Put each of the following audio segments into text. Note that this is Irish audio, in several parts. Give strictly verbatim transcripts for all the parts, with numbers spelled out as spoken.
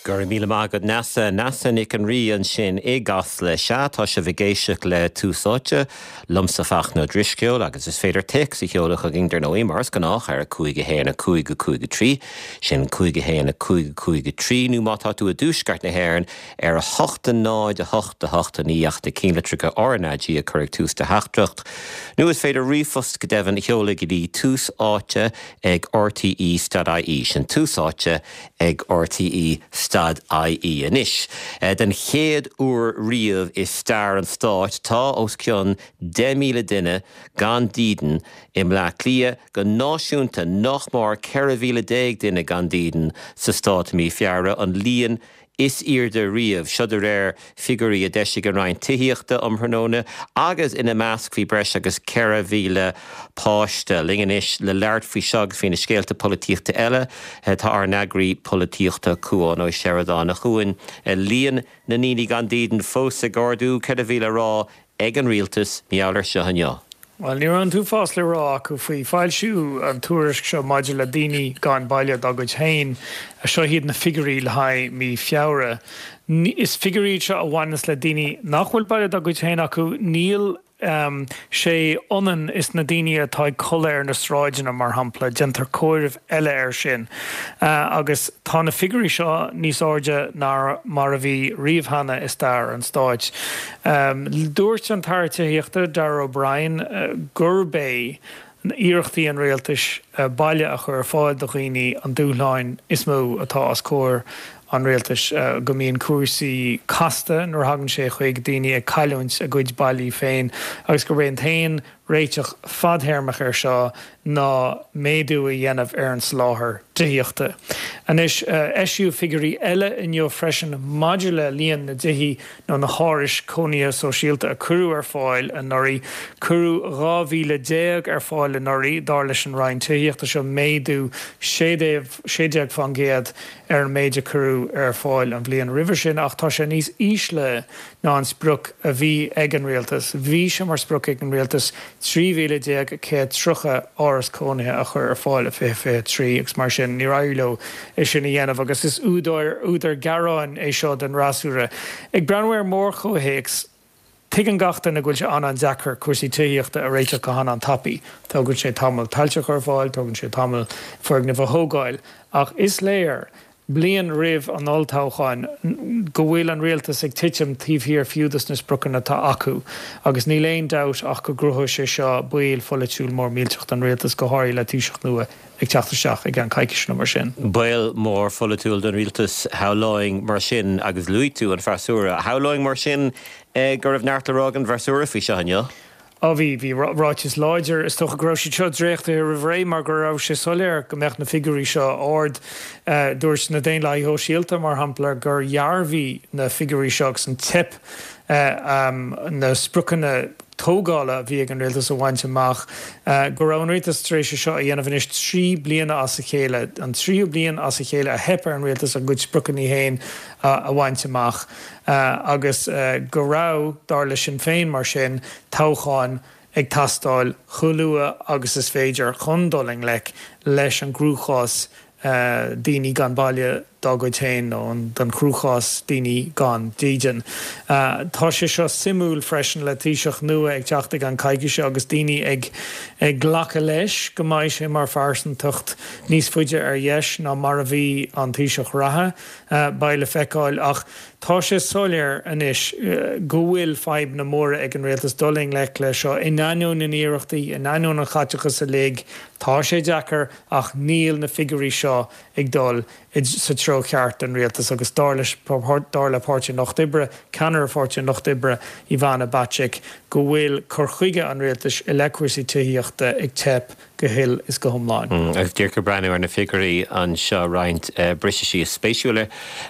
Go raibh míle maith agat Neasa Neasa Nic an Rí ansin i gCasla sea tá sibh ag éisteacht le Tús Áite liomsa Fachtna Ó Drisceoil agus is féidir téacs a sheoladh chugainn dar ndóigh mar is gnách ar a cúig a haon a cúig a cúig a trí sin cúig a haon a cúig a cúig a trí nó má tá tú i dtuaisceart na hÉireann ar a hocht a náid a hocht a hocht a naoi ach na cinnlitreacha RnaG a chur ag tús do theachtaireacht. Nó is féidir ríomhphost go deimhin a sheoladh go dtí tús áite ag RTE stad IE sin tús áite ag RTE stad IE anois. Den chéad uair riamh i stair an stáit tá os cionn deich míle duine gan dídean i mBleá Cliath go náisiúnta nach mór ceithre mhíle déag duine gan dídean sa stát mí Feabhra an líon is airde riamh seo de réir figiúirí a d'eisigh an Roinn Tithíochta um thráthnóna agus ina measc bhí breis agus ceithre mhíle páiste. Linn anois le labhairt faoi seo agus faoi na scéalta polaitíochta eile tá ár n-eagraí polaitíochta Cúán Ó Seireadáin a Chúáin líon na ndaoine gan dídean fós ag ardú ceithre mhíle rá ag an rialtas mar gheall air seo inniu. Well ní raibh an t-uafás le rá acu faoi foilsiú an tuairisc seo maidir le daoine gan baile dá gcuid féin seo iad na figiúirí le haghaidh mí Feabhra. Is figiúirí seo a bhaineas le daoine nach bhfuil baile dá gcuid féin acu níl um, sé ionann is na daoine atá ag codladh ar na sráideanna mar shampla, déantar comhaireamh eile air sin. Uh, agus tá na figiúirí seo níos airde ná mar a bhí riamh cheana i stair an stáit. Um, dúirt an tAire Tithíochta Darragh O'Brien uh, gurb é iarrachtaí an rialtais uh, baile a chur ar fáil do dhaoine an dúshlán is mó atá os comhair an rialtais uh, go mbíonn cúrsaí casta nuair a thagann sé chuig daoine ag cailliúint a gcuid bailí féin agus gurb é an t-aon réiteach fadtéarmach air seo ná méadú a dhéanamh ar an soláthar tithíochta. Anois uh, eisíodh figiúirí eile inniu freisin maidir le líon na dtithe nó na hárais cónaithe sóisialta a cuireadh ar fáil anuraidh cuireadh dhá mhíle déag ar fáil anuraidh dar leis an Roinn Tithíochta seo méadú sé déag faoin gcéad ar an méid a cuireadh ar fáil an bhliain roimhe sin ach tá sé níos ísle ná an sprioc a bhí ag an rialtas. Bhí sé mar sprioc ag an rialtas trí mhíle déag céad tríocha áras cónaithe a chur ar fáil i fiche fiche trí agus mar sin níor éirigh leo é sin a dhéanamh agus is údar údar gearáin é seo den fhreasúra. Ag breathnú ar mhórchomhthéacs Tuigeann gach duine go bhfuil sé an-deacair cúrsaí tithíochta a réiteach go han-tapaidh. Tógann sé tamall tailte a chur ar fáil, tógann sé tamall foirgnimh a thógáil, ach is léir bliain roimh an olltoghchán go bhfuil an rialtas ag titim taobh thiar fiú dos na spriocanna atá acu, agus níl aon dabht ach go gcruthóidh sé seo baol pholaitiúil mór millteach don rialtas go háirithe le Taoiseach nua ag teacht isteach i gceann coicíse nó mar sin. Baol mór pholaitiúil don rialtas shamhlóinn mar sin agus luaigh tú an freasúra. Shamhlóinn mar sin go raibh neart le rá ag an bhfreasúra faoi seo inniu. Á bhí bhí ráiteas láidir is dócha go raibh siad seo dréachtaithe roimh ré mar go raibh sé soiléir go mbeadh na figiúirí seo ard dúirt na Daonlathaithe Sóisialta mar shampla gur dhearbhaigh na figiúirí seo agus an teip na spriocanna tógála a bhí ag an rialtas a bhaint amach go raibh an rialtas tar éis seo a dhéanamh anois trí bliana as a chéile an tríú bliain as a chéile a theip ar an rialtas a gcuid spriocanna féin a bhaint amach agus go raibh dar le Sinn Féin mar sin toghchán ag teastáil chomh luath agus is féidir chun dul i ngleic leis an gcruachás daoine gan baile dá gcuid féin nó don chruachás daoine gan dídean. Tá sé seo suimiúil freisin le Taoiseach nua ag teacht i gceann coicíse agus daoine ag ag glacadh leis go mbeidh sé mar phearsantacht níos faide ar dheis ná mar a bhí an Taoiseach reatha beidh le feiceáil ach tá sé soiléir anois go bhfuil fadhbanna móra ag an rialtas dul i ngleic leis seo in ainneoin na n-iarrachtaí in ainneoin an chaiteachais uilig tá sé deacair ach níl na figiúirí seo ag dul sa treo ceart don rialtas agus dar leis dar le Páirtí an Lucht Oibre, ceannaire Pháirtí an Lucht Oibre Ivana Bacik go bhfuil cur chuige an rialtais i leith cúrsaí tithíochta ag teip go huile is go hiomlán. Agus díreach ag breathnú ar na figiúirí anseo roinnt briseadh síos spéisiúla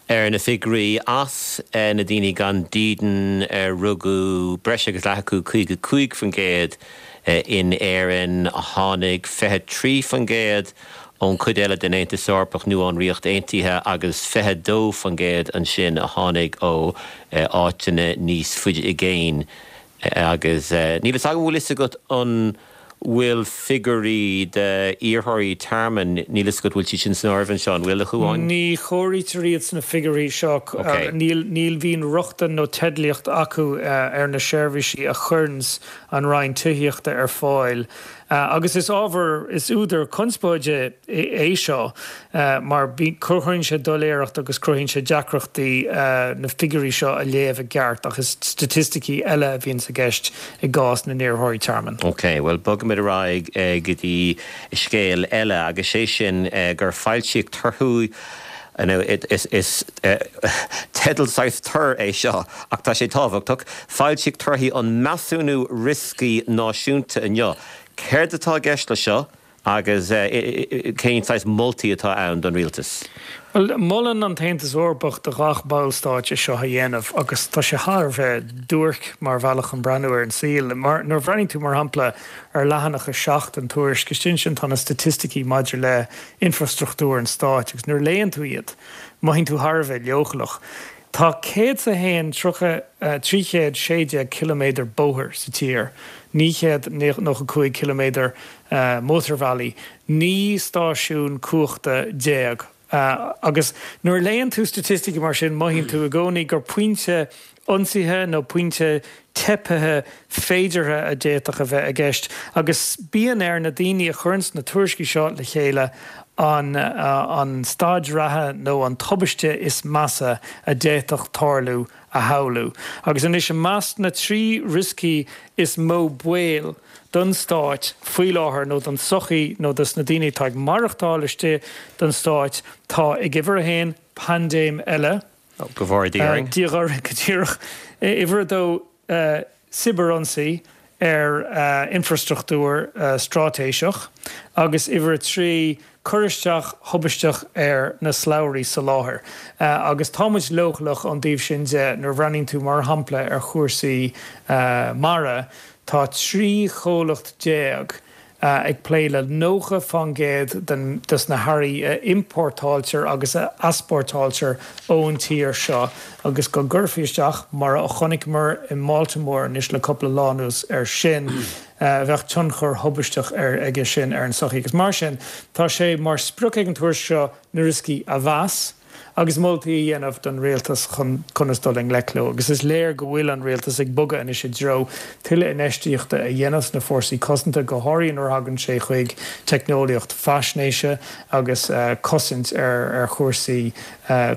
ar na figiúirí as na daoine gan dídean ar rugadh breis agus leath acu caoga cúig faoin gcéad in Éirinn tháinig fiche trí faoin gcéad ón chuid eile den Aontas Eorpach nó ón Ríocht Aontaithe agus fiche dó faoin gcéad ansin a tháinig ó áiteanna níos faide i gcéin agus níl a fhios agam bhfuil fhios agat an bhfuil figiúirí d'iarrthóirí tearmainn, níl a fhios agat bhfuil siad sin san áireamh anseo, an bhfuil, a Chuáin? Ní chomhairítear iad sna figiúirí seo. Níl níl bhíonn rochtain nó teidlíocht acu ar na seirbhísí a chuireanns an Roinn Tithíochta ar fáil. Agus is ábhar, is údar conspóide é seo mar cruthaíonn sé doiléireacht agus cruthaíonn sé deacrachtaí na figiúirí seo a léamh i gceart ach is staitisticí eile a bhíonns i gceist i gcás na n-iarrthóirí tearmainn. Ok, bhuel bogfaimid ar aghaidh go dtí scéal eile agus sé sin gur foilsíodh torthaí Is is teideal saghas tur é seo ach tá sé tábhachtach. Foilsíodh torthaí an Measúnú Rioscaí Náisiúnta inniu. Céard atá i gceist leis seo agus cén saghas moltaí atá ann don rialtas? Bhuel, molann an tAontas Eorpach do ghach ballstáit é seo a dhéanamh agus tá sé thar a bheith duairc mar bhealach chun breathnú ar an saol. Mar nuair a bhreathnaíonn tú, mar shampla, ar leathanach a seacht den tuairisc, istigh ansin tá na staitisticí maidir le infrastruchtúr an stáit agus nuair a léann tú iad, mothaíonn tú thar a bheith leochaileach. Tá céad 's a haon tríocha trí chéad sé déag ciliméadar bóthair sa tír, naoi chéad nócha cúig ciliméadar mótarbhealaí, naoi stáisiún cumhachta déag. Agus nuair a léann tú staitisticí mar sin, mothaíonn tú i gcónaí gur pointe ionsaithe nó pointe teipthe féideartha a d'fhéadfadh a bheith i gceist. Agus bíonn ar na daoine a chuireanns na tuairiscí seo le chéile an an staid reatha nó an tubaiste is measa a d'fhéadfadh tarlú a shamhlú. Agus anois i measc na trí rioscaí is mó baol don stáit faoi láthair nó don tsochaí nó dos na daoine atá ag maireachtáil istigh den stáit tá ag uimhir a haon, paindéim eile, Go bhfóire Dia orainn. Dia orainn go díreach. Uimhir a dó, cibearionsaí ar infrastruchtúr straitéiseach agus uimhir a trí, cur isteach thubaisteach ar na slabhraí soláthair. Agus tá muid leochaileach ón dtaobh sin de nuair a bhreathnaíonn tú mar shampla ar chúrsaí mara, tá trí chomhlacht déag ag plé le nócha fán gcéad den des na hearraí a iompórtáiltear agus a easpórtáiltear ón tír seo agus go gcuirfí isteach, mar a chonaiceamar i mBaltimore anois le cúpla lá anuas air sin, bheadh tionchar thubaisteach aige sin ar an tsochaí. Agus mar sin, tá sé mar sprioc ag an tuairisc seo na rioscaí a mheas, agus moltaí a dhéanamh don rialtas chun conas dul i ngleic leo. Agus is léir go bhfuil an rialtas ag bogadh anois i dtreo tuilleadh infheistíochta a dhéanamh sna fórsaí cosanta, go háirithe nuair a thagann sé chuig teicneolaíocht faisnéise agus cosaint ar chúrsaí,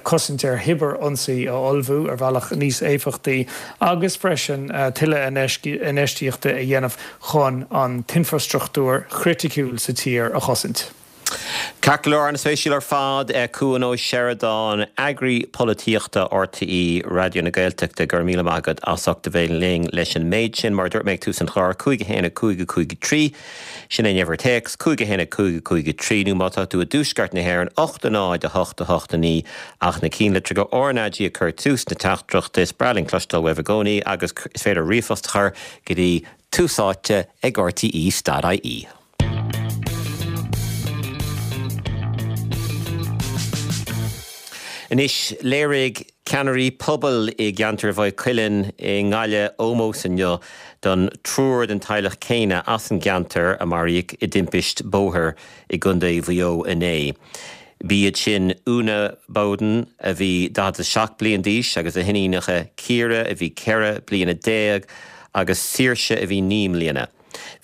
cosaint ar chibear-ionsaí a ullmhú ar bhealach níos éifeachtaí agus freisin tuilleadh infheistíochta a dhéanamh chun an t-infrastruchtúr chriticiúil sa tír a chosaint. Ceart go leor, an-spéisiúil ar fad. Cuan Ó Seireadáin, Eagraí Polaitíochta RTÉ Raidió na Gaeltachta, go raibh míle maith agat as ucht a bheith linn leis an méid sin. Mar a dúirt mé ag tús an chláir, cúig a haon a cúig a cúig a trí, sin é an uimhir téacs, cúig a haon a cúig a cúig a trí, nó má tá tú i dtuaisceart na hÉireann, ocht a náid a hocht a hocht a naoi, ach na cinnlitreacha RnaG a chur tús na teachtaireachta. Is breá linn cloisteáil uaibh i gcónaí agus is féidir ríomhphost a chur go dtí Tús Áite ag rte dot ie. Anois, léirigh ceannairí pobail i gceantar Mhaigh Cuilinn i nGaillimh ómós inniu don triúr den teaghlach céanna as an gceantar a maraíodh i dtimpist bóthair i gContae Mhaigh Eo inné. B'iad sin Úna Bowden, a bhí daichead a seacht bliain d'aois, agus a hiníonacha Ciara, a bhí ceithre bliana déag, agus Saoirse, a bhí naoi mbliana.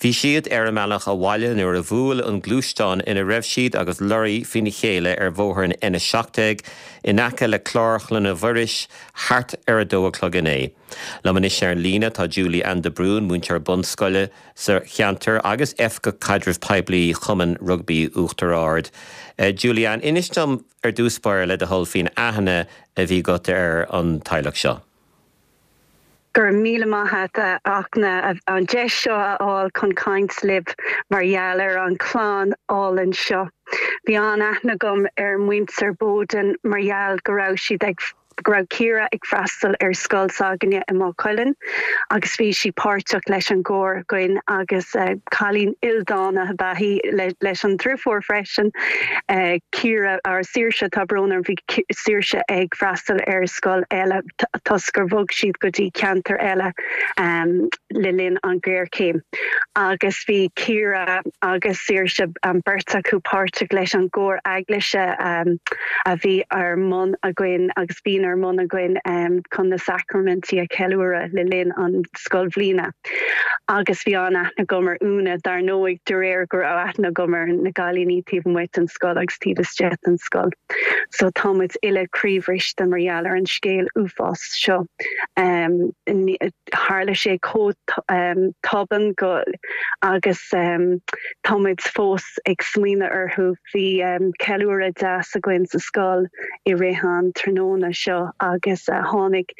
Bhí siad ar a mbealach abhaile nuair a bhuail an gluaisteán ina raibh siad agus lorraí faoina chéile ar bhóthar an N a seacht déag in aice le Clár Chlainne Mhuiris thart ar a dó a chlog inné. Liom anois ar an líne tá Julie Ann de Brún, múinteoir bunscoile sa cheantar agus Oifigeach Caidrimh Poiblí Chumann Rugbaí Uachtar Ard. Julie Ann, inis dom ar dtús báire le do thoil faoin aithne a bhí agat ar an teaghlach seo. Go raibh míle maith a't a Fhachtna an deis seo a fháil chun caint libh mar gheall ar an chlann álainn seo. Bhí an-aithne agam ar muintir Bowden mar gheall go raibh siad ag go raibh Ciara ag freastal ar scoil s'againne i Maigh Cuilinn agus bhí sí páirteach leis an gcór againn agus uh, cailín ildánach ab ea í le, leis an driofúr freisin uh, Ciara ar Saoirse tá brón orm bhí Saoirse ag freastal ar scoil eile toisc gur bhog siad go dtí ceantar eile um, le linn an ghéarchéim. Agus bhí Ciara agus Saoirse an beirt acu páirteach leis an gcór eaglaise um, a bhí ar bun againn agus bíonn ar bun againn um, chun na sacraimintí a cheiliúradh le linn an scoilbhliana. Agus bhí an-aithne agam ar Úna dar ndóigh de réir go raibh aithne agam ar na cailíní taobh amuigh den scoil agus taobh istigh den scoil. So táimid uile croíbhriste mar gheall ar an scéal uafásach seo. Um, tharla sé chomh um, tobann go agus um, táimid fós ag smaoineamh orthu bhí um, ceiliúradh deas againn sa scoil i rith an tráthnóna seo agus uh, tháinig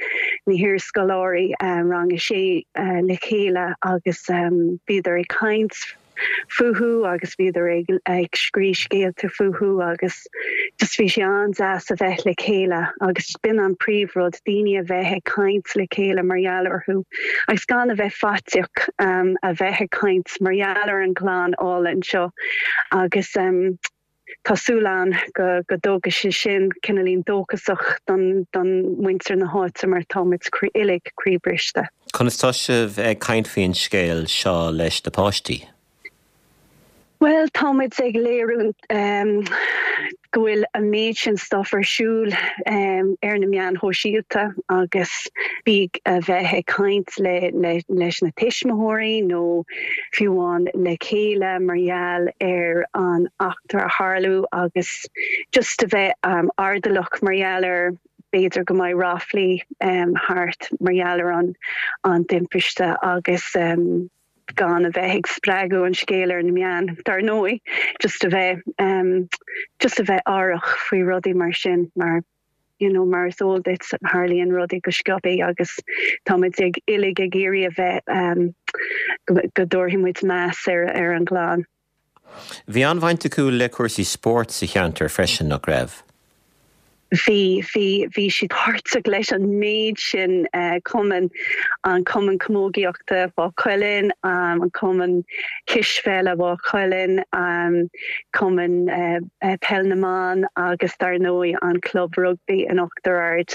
na hiarscoláirí um, rang a sé uh, le chéile agus um, bhíodar ag caint fúthu agus bhíodar ag ag scríobh scéalta fúthu agus just bhí sé an-deas a bheith le chéile agus b'in an príomhrud daoine a bheith ag caint le chéile mar gheall orthu agus gan a bheith faitíoch um, a bheith ag caint mar gheall ar an gclann álainn seo agus um, Tá súil agam go go dtógfaidh sé sin cineáilín dóchasach don don muintir na háite mar táimid uilig croíbhriste. Conas tá sibh ag caint faoin scéal seo leis na páistí? Well táimid ag léiriú um, go bhfuil an méid sin stuff ar siúl um, ar na meáin shóisialta agus bí a bheith ag caint le, le, leis na tuismitheoirí nó fiú amháin le chéile mar gheall ar an eachtra a tharla agus just a bheith um, airdeallach mar gheall ar b'fhéidir go mbeidh ráflaí um, thart mar gheall ar an an timpiste agus um, gan a bheith ag spreagadh an scéal ar na meáin dar ndóigh just a bheith um, just a bheith aireach faoi rudaí mar sin mar you know mar is eol duit tarlaíonn rudaí go sciobtha agus táimid ag uilig ag iarraidh a bheith um, go, go dtabharfaidh muid meas ar ar an gclann. Bhí an-bhaint acu le cúrsaí spóirt sa cheantar freisin nach raibh. Bhí bhí bhí siad páirteach leis an méid sin uh, cumann an cumann camógaíochta Mhaigh Cuilinn, um, an cumann cispheile Mhaigh Cuilinn, um, cumann uh, uh, peil na mban agus dar ndóigh an club rugby in Uachtar Ard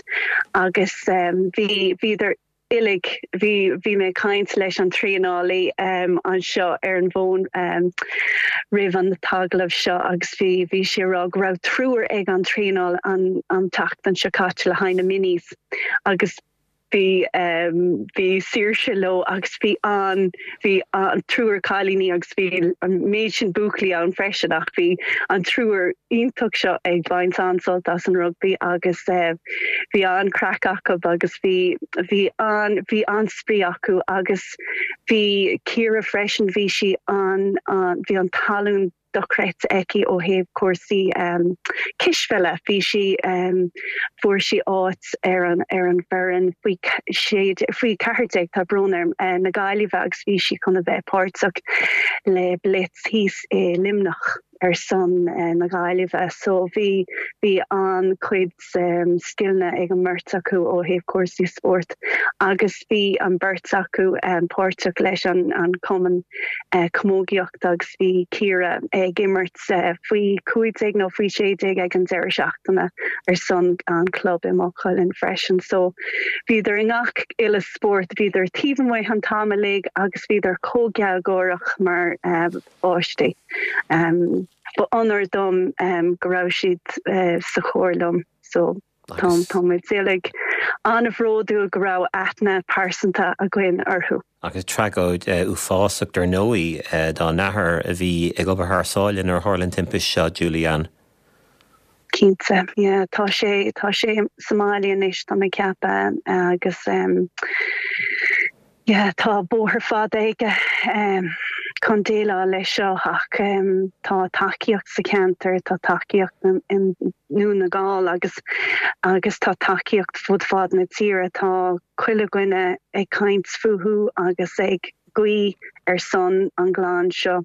agus um, bhí bhíodar uilig bhí bhí mé ag caint leis an traenálaí um, anseo ar an bhfón um, roimh an t-agallamh seo agus bhí bhí sé rá go raibh triúr ag an traenáil an an tseachtain seo caite le haghaidh na minis agus bhí um, bhí Saoirse leo agus bhí an bhí an triúr cailíní agus bhí an méid sin buachaillí ann freisin ach bhí an triúr iontach seo ag baint an-sult as an rugby agus uh, bhí an-chraic acu agus bhí bhí an bhí an-spraoi acu agus bhí Ciara freisin bhí sí an, an bhí an tallann dochreidte aici ó thaobh cúrsaí um, cispheile bhí sí um, fuair sí áit ar an ar an bhfoireann faoi faoi ceathair déag tá brón orm uh, na Gaillimhe agus bhí sí chun a bheith páirteach le Blitz thíos i Luimneach ar son uh, na Gaillimhe so bhí bhí an-chuid um, scileanna ag an mbeirt acu ó thaobh cúrsaí spóirt agus bhí an beirt acu um, páirteach leis an an cumann uh, camógaíochta agus bhí Ciara ag imirt uh, faoi cúig déag nó faoi sé déag ag an deireadh seachtaine ar son an club i Maigh Cuilinn freisin so bhíodar i ngach uile spórt bhíodar taobh amuigh an t-am uilig agus bhíodar chomh gealgháireach mar uh, páistí. Um, Ba onóir dom um, go raibh siad uh, sa chór liom so tá táimid uilig an-bhródúil go raibh aithne pearsanta againn orthu. Agus tragóid uh, uafásach dar ndóigh uh, dá n-athair a bhí ag obair thar sáile nuair a tharla an timpiste seo Julianne. Cinnte yeah, tá sé tá sé sa mbaile anois tá mé ag ceapadh agus um, yeah, tá bóthar fada aige um, chun déileáil leis seo ach um, tá tacaíocht sa cheantar tá tacaíocht in nDún na nGall agus agus tá tacaíocht fud fad na tíre tá chuile dhuine ag caint fúthu agus ag guí ar son an gclann seo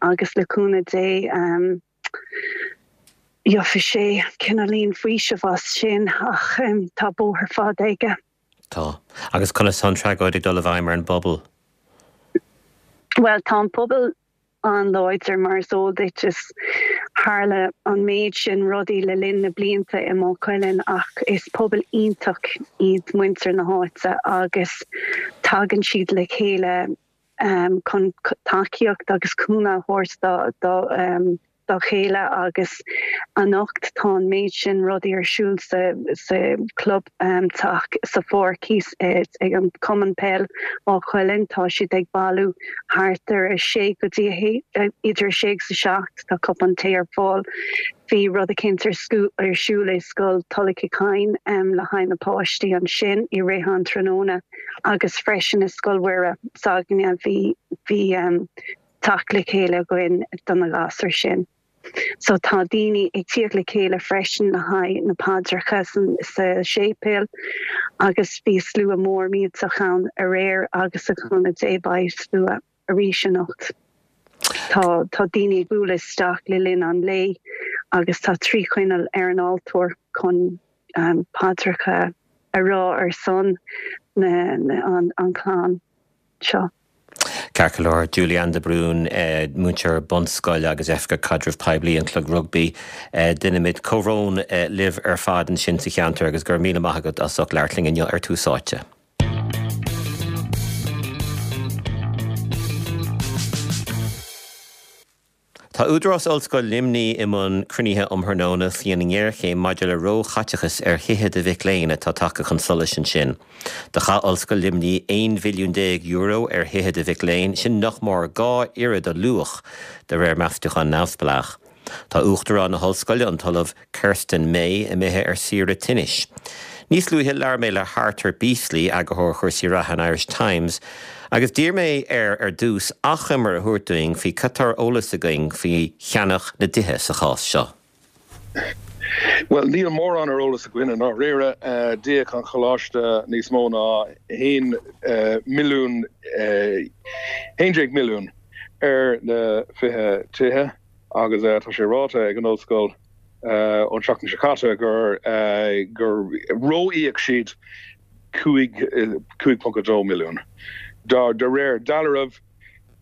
agus le cúnamh Dé um, Gheobhaidh sé cineáilín faoiseamh as sin ach tá bóthar fada aige. Tá. Agus conas tá an tragóid ag dul i bhfeidhm ar an bpobal? Bhuel, tá an pobal an-láidir mar is eol duit is tharla an méid sin rudaí le linn na blianta i Maigh Cuilinn ach is pobal iontach iad muintir na háite agus tagann siad le chéile chun tacaíocht agus cúnamh a thabhairt do dá chéile agus anocht tá an méid sin rudaí ar siúl sa sa club teach sa pháirc thíos ag an Cumann Peil Maigh Cuilinn tá siad ag bailiú thart ar a sé go dtí a idir a sé agus a seacht tá cupán tae ar fáil bhí rud eicínt ar ar siúl i scoil Tulach Uí Chadhain le haghaidh na páistí ansin i rith an tráthnóna agus freisin i Scoil Mhuire s'againne bhí bhí teacht le chéile againn do na gasúir sin. So tá daoine ag tíocht le chéile freisin le haghaidh na paidreacha sa séipéal agus bhí slua mór millteach ann aréir agus le cúnamh Dé beidh slua arís anocht. Tá tá daoine ag bualadh isteach le linn an lae agus tá trí choinneal ar an altóir chun um, paidreacha a rá ar son na, na, an, an clann seo. Ceart go leor Julianne de Brún eh, múinteoir bunscoile agus Oifigeach Caidreamh Poiblí an Chlub Rugbaí eh, déanaimid comhbhrón eh, libh ar fad ansin sa cheantar agus go raibh míle maith agat as ucht labhairt linn inniu ar Tús Áite. Tá Údarás Ollscoil Luimnigh i mbun cruinnithe um thráthnóna faoin ngéarchéim maidir le róchaiteachas ar thithe do mhic léinn atá tagtha chun solais ansin. Do chaith Ollscoil Luimnigh aon mhilliún déag euro ar thithe do mhic léinn, sin nach mór dhá oiread a luach de réir meastúchán neamhspleách. Tá Uachtarán na hOllscoile, an tOllamh Kerstin May, imithe ar saoire tinnis. Níos luaithe labhair mé le hArthur Beesley, eagarthóir chúrsaí reatha an Irish Times, agus d'iarr mé air ar dtús achoimre a thabhairt dúinn faoi cad tá ar eolas againn faoi cheannach na dtithe sa chás seo. Bhuel, níl mórán ar eolas againn i ndáiríre. D'íoc an choláiste níos mó ná haon milliún, haon déag milliún ar na fiche tithe agus tá sé ráite ag an ollscoil ón tseachtain seo caite gur gur ró-íoc siad cúig cúig ponc a dó milliún. De réir dealraimh,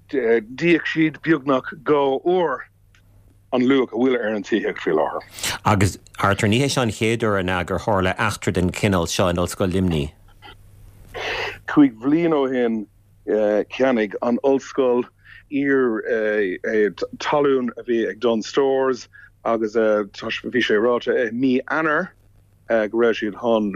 d'íoc siad beagnach dhá uair an luach a bhfuil ar an tithíocht faoi láthair. Agus Arthur, ní hé seo an chéad uair an ea gur tharla eachtra den chineál seo in Ollscoil Luimnigh? Cúig bhliain ó shin cheannaigh an ollscoil iar talún a bhí ag Dunnes Stores agus bhí sé ráite i mí Eanáir go raibh siad chun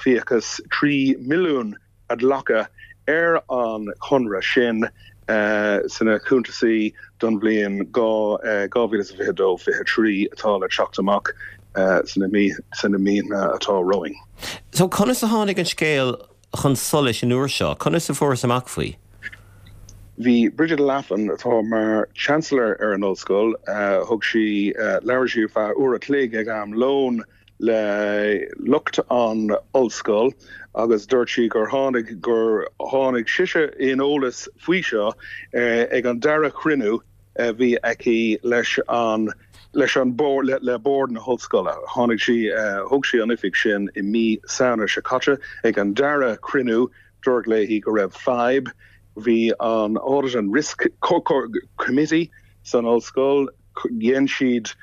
fiachas trí milliún a ghlacadh ar an chonradh sin sna cuntasaí don bhliain dhá mhíle is fiche dó fiche trí atá le teacht amach sna míonna atá romhainn. So conas a tháinig an scéal chun solais an uair seo? Conas a fuarthas amach faoi? Bhí Brigid Laffan, atá mar Chancellor ar an ollscoil, thug sí, labhair sí ar feadh uair a chloig ag am lóin le lucht an ollscoil agus dúirt sí gur tháinig gur tháinig sise in eolas faoi seo ag an dara cruinniú a bhí aici leis an leis an bord le bord na hollscoile. Tháinig sí thug sí an oifig sin i mí Samhna seo caite ag an dara cruinniú dúradh léi go raibh fadhb Bhí an Audit and Risk Committee san ollscoil, dhein siad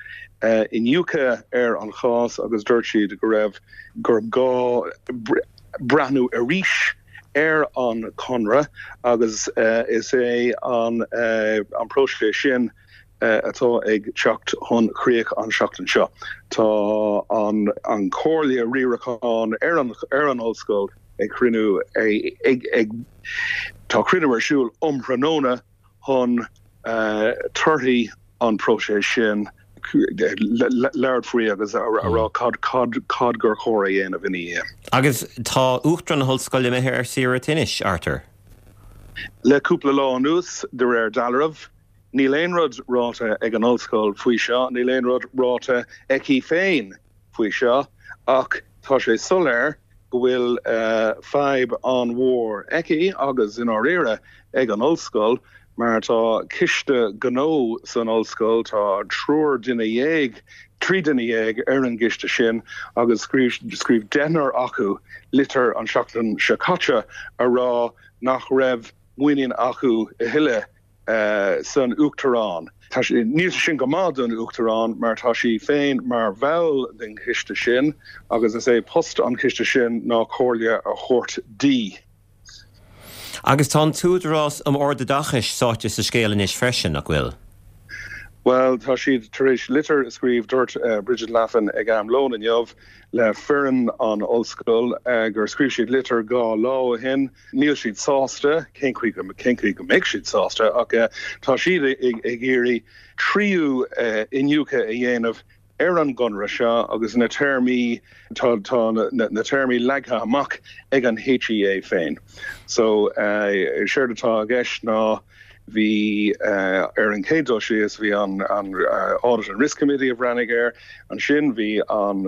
iniúchadh ar an chás agus dúirt siad go raibh gur gá breathnú arís ar an chonradh agus is é an an próiseas sin atá ag teacht chun críoch an seachtain seo. Tá an an Comhairle Riaracháin ar an ar an ollscoil ag cruinniú ag ag tá cruinniú ar siúl um thráthnóna chun torthaí an próiseas sin labhairt faoi agus a rá cad cad cad gur chóir a dhéanamh ina dhiaidh. Agus tá Uachtarán na hOllscoile imithe ar saoire tinnis, Arthur? Le cúpla lá anuas, de réir dealraimh, níl aon rud ráite ag an ollscoil faoi seo, níl aon rud ráite aici féin faoi seo, ach tá sé soiléir go bhfuil fadhb an-mhór aici agus i ndáiríre ag an ollscoil mar tá coiste gnó san ollscoil, tá triúr duine dhéag, trí duine dhéag ar an gcoiste sin agus scríobh scríobh deichniúr acu litir an seachtain seo caite a rá nach raibh muinín acu a thuilleadh san Uachtarán. Níl sé sin go maith don Uachtarán mar tá sí féin mar bhall den choiste sin agus is é post an choiste sin ná comhairle a thabhairt di. Agus tá an tÚdarás um Ardoideachais sáite sa scéal anois freisin, nach bhfuil? Bhuel, tá siad tar éis litir a scríobh, dúirt Brigid Laffan ag am lóin inniu le foireann an ollscoil gur scríobh siad litir dhá lá ó shin. Níl siad sásta, cén chaoi go cén chaoi go mbeidh siad sásta, ach tá siad ag iarraidh tríú iniúchadh a dhéanamh ar an gconradh seo agus na téarmaí, tá tá na téarmaí leagtha amach ag an HEA féin. So, séard atá i gceist ná Bhí, ar an chéad dul síos, bhí an Audit and Risk Committee a bhreathnaigh air. Ansin bhí an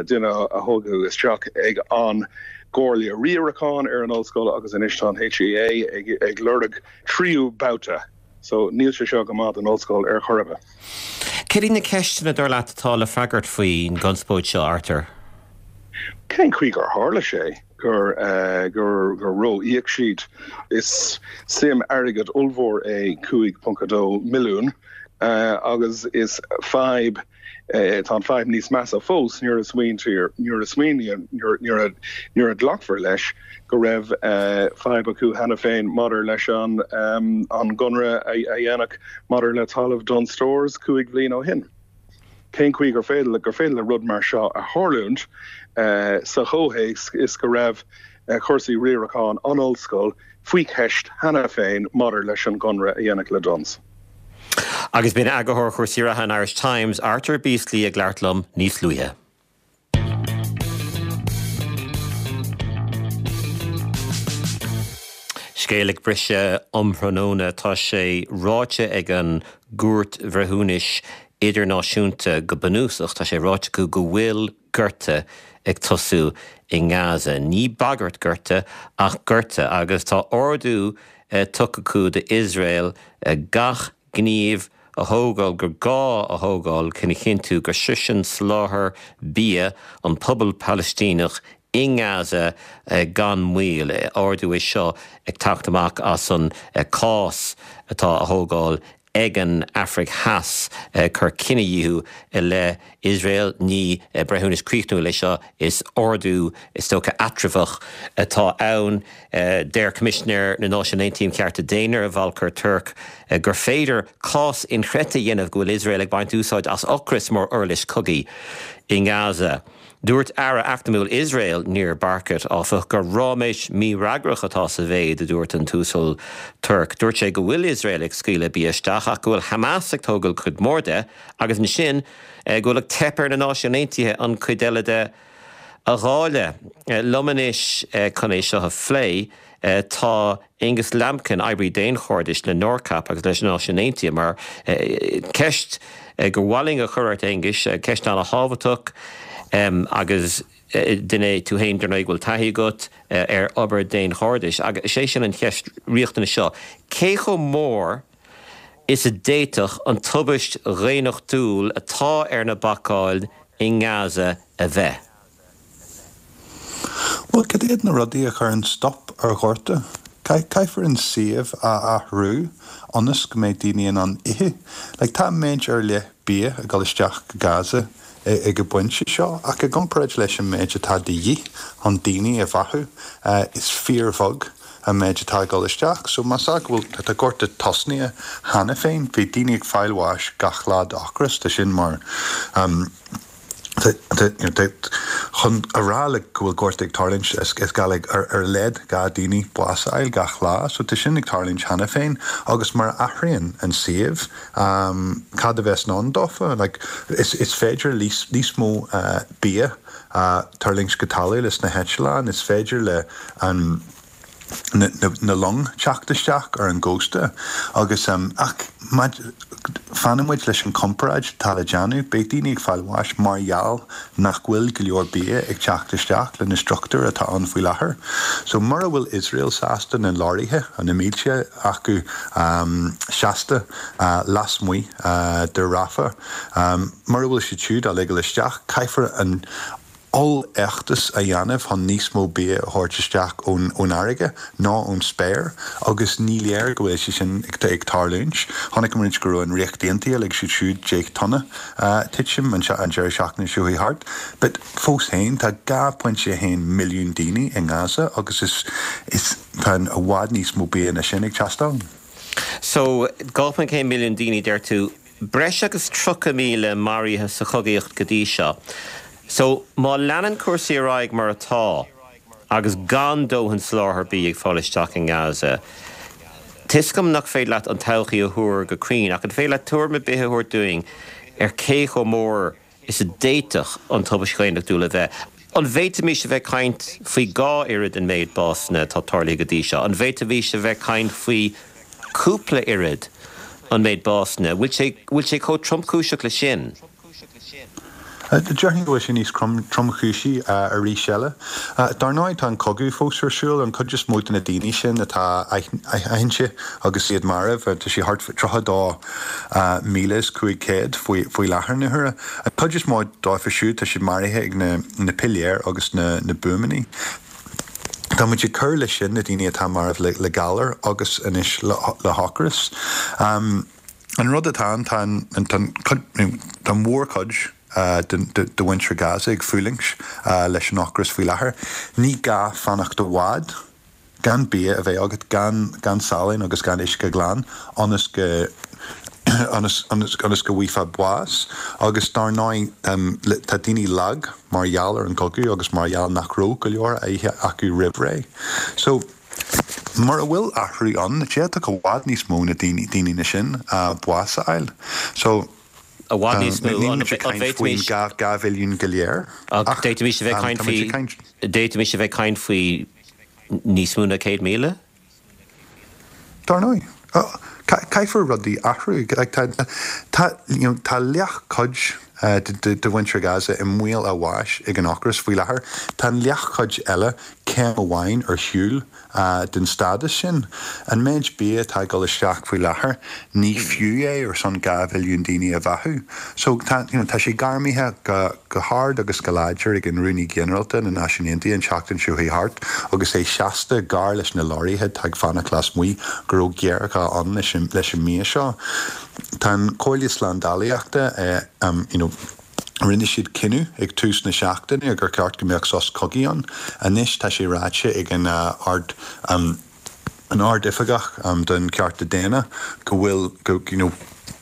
duine a toghadh isteach ag an gComhairle Riaracháin ar an ollscoil agus anois tá an HEA ag lorg tríú babhta. So níl sé seo go maith don ollscoil ar chor ar bith. Céard iad na ceisteanna, dar leat, atá le freagairt faoin gconspóid seo, Arthur? Cén chaoi gur tharla sé gur gur gur ró-íoc siad? Is suim airgid ollmhór é cúig ponc a dó milliún agus is fadhb tá an fadhb níos measa fós nuair a smaointír nuair a smaoiníonn nuair a nuair a glacfar leis go raibh fadhb acu cheana féin maidir leis an an gconradh a dhéanadh maidir le talamh Dunnes Stores cúig bhliain ó shin. Cén chaoi gur féidir gur féidir le rud mar seo a tharlúint sa chomhthéacs is go raibh cúrsaí riaracháin an ollscoil faoi cheist cheana féin maidir leis an gconradh a dhéanadh le Dunnes? Agus b'in eagarthóir chúrsaí reatha an Irish Times, Arthur Beesley ag labhairt liom níos luaithe. Scéal ag briseadh um thráthnóna, tá sé ráite ag an gCúirt Bhreithiúnais Idirnáisiúnta go bunúsach, tá sé ráite acu go bhfuil gorta ag tosú i nGaza. Ní bagairt gorta ach gorta agus tá ordú tugtha acu d'Iosrael gach gníomh a thógáil gur gá a thógáil chun a chinntiú go sroiseann soláthar bia an pobal Palaistíneach i nGaza gan mhoill. Ordú é seo ag teacht amach as an cás atá á thógáil ag an Afraic Theas ag cur cinedhíothú i leith Iosrael. Ní breithiúnas críochnúil é seo, is ordú is dócha eatramhach atá ann. Deir Coimisinéir na Náisiún Aontaithe um Chearta Daonna, Volker Turk, gur féidir cás inchreidte a dhéanamh go bhfuil Iosrael ag baint úsáid as ocras mar uirlis cogaidh i nGaza. Dúirt Aire Eacnamúil Iosrael, Nir Barkat, áfach, gur ráiméis mhífhreagrach atá sa mhéid a dúirt an tUasal Turk. Dúirt sé go bhfuil Iosrael ag scaoileadh bia isteach ach go bhfuil Hamas ag tógáil cuid mhór de agus ansin go bhfuil ag teip ar na Náisiúin Aontaithe an chuid eile de a dháileadh. Liom anois chun é seo a phlé tá Aonghus Lambkin, oibrí daonchairdis le NORCAP agus leis na Náisiúin Aontaithe, mar ceist gur mhaith linn a chur ort, Aonghus, ceist an-thábhachtach agus duine tú féin dar ndóigh go bhfuil taithí agat ar obair daonchairdis agus is é sin an cheist riachtanach seo, cé chomh mór is a d'fhéadfadh an tubaist dhaonnachtúil atá ar na bacáin i nGaza a bheith? Bhuel, cad iad na rudaí a chuireann stop ar ghorta? Caithfear an suíomh a athrú ionas go mbeidh daoine in ann ithe. Like, tá méid ar leith bia ag dul isteach go Gaza ag an bpointe seo, ach i gcomparáid leis an méid atá de dhíth chun daoine a bheathú, is fíorbheag an méid atá ag dul isteach. So más ea go bhfuil, tá gorta tosnaithe cheana féin, bhí daoine ag fáil bháis gach lá d'ocras, tá sin mar, Chun a rá like go bhfuil gorta ag tarlúint is gá like ar a laghad dhá daoine bás a fháil gach lá so tá sin ag tarlúint cheana féin agus mar a athraíonn an suíomh cad a bheas in ann dófa like is is féidir níos níos mó bia a tuirlingt go talamh leis na heitleáin is féidir le an na, na, na long teacht isteach ar an gcósta agus um, ach fanann muid leis an comparáid atá le déanamh, beidh daoine ag fáil bháis mar gheall nach bhfuil go leor bia ag teacht isteach le na struchtúir atá ann faoi láthair. So mura bhfuil Iosrael sásta na leoraithe an na mílte acu um, seasta uh, lasmuigh uh, de Rafah, um, mura bhfuil siad siúd á ligean isteach, caithfear an ollfheachtas a dhéanamh chun níos mó bia a thabhairt isteach ón ón fharraige ná ón spéir agus ní léir go bhfuil sé sin ag ag tarlúint. Chonaic muid go raibh an Ríocht Aontaithe lig siad siúd deich tonna titim an an deireadh seachtaine seo thart. But fós féin tá dhá pointe haon milliún daoine i nGaza agus is is tá i bhfad níos mó bia ná sin ag teastáil. So dhá ponc aon milliún daoine deir tú breis agus tríocha míle maraithe sa chogaíocht go dtí seo. So má leanann cúrsaí ar aghaidh mar atá agus gan dóthain soláthar bia ag fáil isteach in Gaza. Tuigim nach féidir leat an todhchaí a thuar go cruinn ach an féidir leat tuairim ar bith a thabhairt dúinn ar cé chomh mór is a d'fhéadfadh an tubaiste dhaonnúil a bheith. An bhféadfaimis a bheith ag caint faoi dhá oiread an méid básanna atá tarlaithe go dtí seo. An bhféadfaimis a bheith ag caint faoi cúpla oiread an méid básanna, bhfuil sé chomh tromchúiseach le sin. Déarfainn go bhfuil sé níos tromchúisí arís eile. Dar ndóigh tá an cogadh fós ar siúl an chuid is mó de na daoine sin atá aitheanta agus iad marbh, tá sé thart tríocha dó míle is cúig chéad faoi láthair na huaire. An chuid is mó dófa siúd tá siad maraithe ag na piléir agus na buamaí. Tá muid ag cur leis sin na daoine atá marbh le galar agus anois le hocras. An rud atá tá an mhórchuid de mhuintir Gaza ag fulaingt leis an ocras faoi láthair. Ní gá fanacht i bhfad gan bia a bheith agat gan gan salann agus gan uisce glan ionas go ionas ionas go bhfaighfeá bás agus dar ndóigh tá daoine lag mar gheall ar an gcogadh agus mar gheall nach raibh go leor á ithe acu roimh ré. So mura bhfuil athrú ann, d'fhéadfadh i bhfad níos mó na daoine daoine na sin bás a fháil. So I bhfad níos mó faoin dhá mhilliún go léir. D'fhéadfaimis a bheith caint faoi d'fhéadfaimis a bheith caint faoi níos mó ná céad míle? Dar ndóigh. Caithfear rudaí athrú tá leathchuid de mhuintir Gaza i mbaol a bháis ag an ocras faoi láthair. Tá an leathchuid eile céim amháin ar shiúl den stádas sin. An méid bia atá ag dul isteach faoi láthair, ní fiú é ar son dhá mhilliún daoine a bheathú. So tá you know, tá sé gairmithe go, go hard agus go láidir ag an Rúnaí Ginearálta na Náisiún Aontaithe an tseachtain seo thart agus é seasta gar leis na leoraithe atá ag fanacht lasmuigh go raibh géarghá ann leis an, leis an mbia seo. Tá an Comhairle Slándálaíochta eh, um, you know, Rinne siad cinneadh ag tús na seachtaine gur ceart go mbeadh sos cogaidh ann. Anois tá sé ráite ag an uh, ard um, an ard-oifigeach um, don cearta daonna go bhfuil go, you know,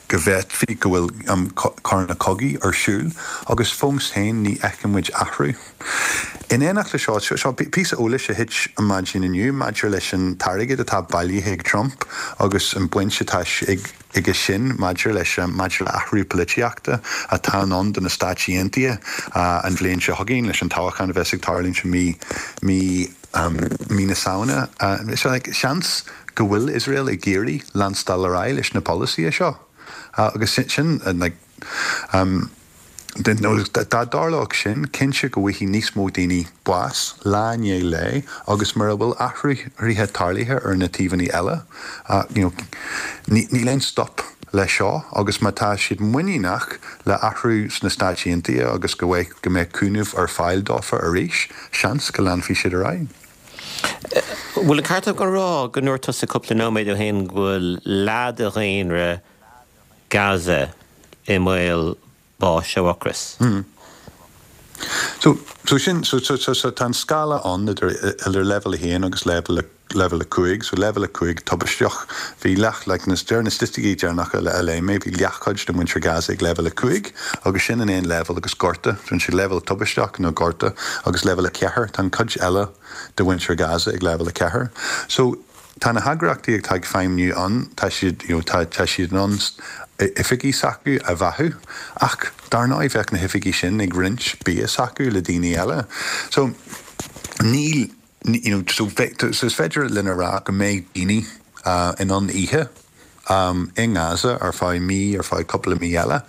go bhféadfaí go bhfuil um, coireanna cogaidh ar siúl agus fós féin ní fheiceann muid athrú. In éineacht le seo seo píosa eolais a thit an maidin inniu maidir leis an t-airgead atá bailithe ag Trump agus an baint atá ag aige sin maidir leis maidir le athrú polaitíochta atá ann do na Stáit Aontaithe an bhliain seo chugainn leis an toghchán a bheas ag tarlúint mí mí um, mí na Samhna. Uh, so, like, seans go bhfuil Israel ag iarraidh leanstáil ar aghaidh leis na polasaithe seo. Uh, agus sin, sin uh, like, um, dá dtarlódh sin cinnte go bhfaighidh níos mó daoine bás lá i ndiaidh lae agus mura bhfuil athruithe tarlaithe ar na taobhanna eile, you know, níl aon stop le seo agus má tá siad muiníneach le athrú sna Stáit Aontaithe agus go bhfuil go mbeidh cúnamh ar fáil dófa arís, seans go leanfaidh siad ar aghaidh. Bhfuil an ceart agam rá go ndúirt tusa cúpla nóiméad ó shin go bhfuil leath de dhaonra Gaza i mbaol báis ó ocras. Mm. So, so sin so, so, so, so tá an scála ann idir idir level a haon agus level level a cúig, so level a cúig tubaisteach bhí leath like, na deir na staitisticí deireanacha le le mé bhí leathchuid de mhuintir Gaza ag level a cúig agus sin an aon level agus gorta, sin sé level tubaisteach nó gorta agus level a ceathair tá an cuid eile de mhuintir Gaza ag level a ceathair. So tá na heagraíochtaí atá ag feidhmiú ann tá siad you know, tá, tá siad in ann oifigí s'acu a bheathú ach dar ndóigh bheadh na hoifigí sin ag roinnt bia s'acu le daoine eile. So níl you know, so, so is féidir linn a rá go mbeidh daoine uh, in ann ithe um, i nGaza ar feadh mí ar feadh cúpla mí eile